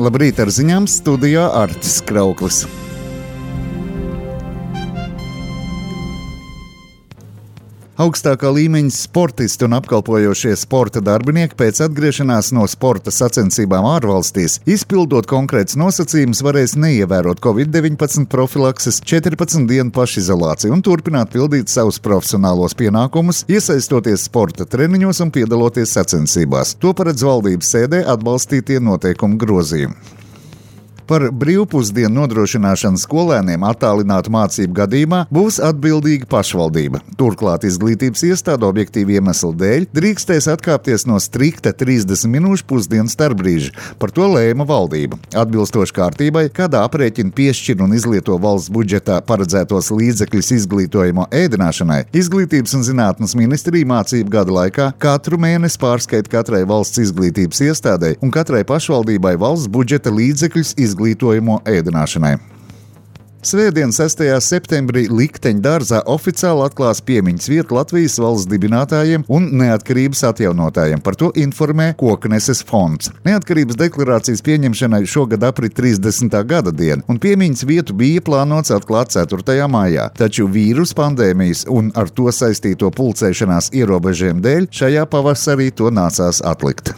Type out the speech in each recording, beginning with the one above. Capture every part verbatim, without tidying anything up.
Labrīt ar ziņām, studijā Artis Krauklis. Augstākā līmeņa sportisti un apkalpojošie sporta darbinieki pēc atgriešanās no sporta sacensībām ārvalstīs, izpildot konkrētus nosacījumus, varēs neievērot covid deviņpadsmit profilakses četrpadsmit dienu pašizolāciju un turpināt pildīt savus profesionālos pienākumus, iesaistoties sporta treniņos un piedaloties sacensībās. To paredz valdības sēdē atbalstītie noteikumu grozījumi. Par brīvpusdienu nodrošināšanu skolēniem attālinātu mācību gadījumā būs atbildīga pašvaldība. Turklāt izglītības iestāde objektīvu iemeslu dēļ drīkstēs atkāpties no strikta trīsdesmit minūšu pusdienas starpbrīža. Par to lēma valdība. Atbilstoši kārtībai, kādā aprēķina piešķir un izlieto valsts budžetā paredzētos līdzekļus izglītojamo ēdināšanai, Izglītības un zinātnes ministrija mācību gada laikā katru mēnesi pārskaita katrai valsts izglītības iestādei un katrai pašvaldībai valsts budžeta līdzekļus izglītības izglītojamo ēdināšanai. Svētdien, sestajā septembrī, Likteņu dārzā oficiāli atklās piemiņas vietu Latvijas valsts dibinātājiem un neatkarības atjaunotājiem. Par to informē Kokneses fonds. Neatkarības deklarācijas pieņemšanai šogad aprit trīsdesmitā gada diena, un piemiņas vietu bija plānots atklāt ceturtajā maijā. Taču vīrusu pandēmijas un ar to saistīto pulcēšanās ierobežojumu dēļ šajā pavasarī to nācās atlikt.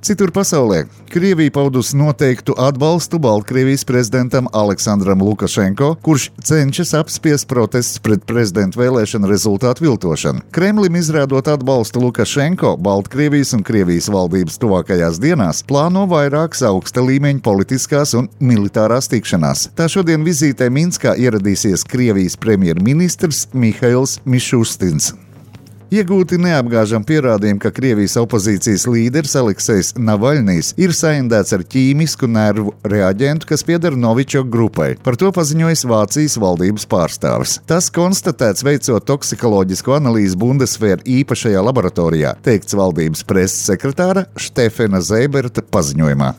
Citur pasaulē Krievija paudusi noteiktu atbalstu Baltkrievijas prezidentam Aleksandram Lukašenko, kurš cenšas apspiest protestus pret prezidentu vēlēšanu rezultātu viltošanu. Kremlim izrādot atbalstu Lukašenko, Baltkrievijas un Krievijas valdības tuvākajās dienās plāno vairākas augsta līmeņa politiskās un militārās tikšanās. Tā šodien vizītē Minskā ieradīsies Krievijas premjerministrs Mihails Mišustins. Iegūti neapgāžami pierādījumi, ka Krievijas opozīcijas līderis Aleksejs Navaļnijs ir saindēts ar ķīmisku nervu reaģentu, kas pieder Novičok grupai. Par to paziņojis Vācijas valdības pārstāvis. Tas konstatēts veicot toksikoloģisku analīzi Bundeswehr īpašajā laboratorijā, teikts valdības preses sekretāra Štefena Zeiberta paziņojumā.